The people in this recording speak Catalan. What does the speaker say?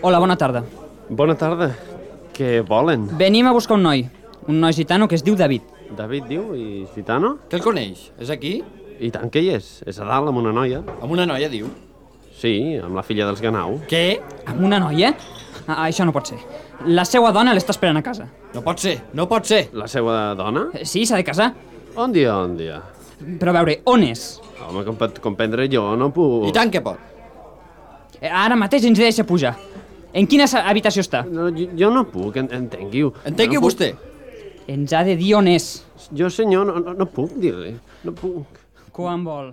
Hola, bona tarda. Bona tarda. Què volen? Venim a buscar un noi gitano que es diu David. David diu, i gitano? Que el coneix? És aquí? I tant que hi és. És a dalt amb una noia. Amb una noia, diu. Sí, amb la filla dels Ganau. Què? Amb una noia? Això no pot ser. La seva dona l'està esperant a casa. No pot ser, no pot ser. La seva dona? Sí, s'ha de casar. On dia? Però a veure, on és? Home, com pot comprendre jo, no puc... I tant que pot. Ara mateix ens deixa pujar. En quina habitació està? No, jo no puc, entengui-ho. Entengui no vostè. Ens ha de dir on és. Jo, senyor, no puc dir-li. No puc. Quan vol.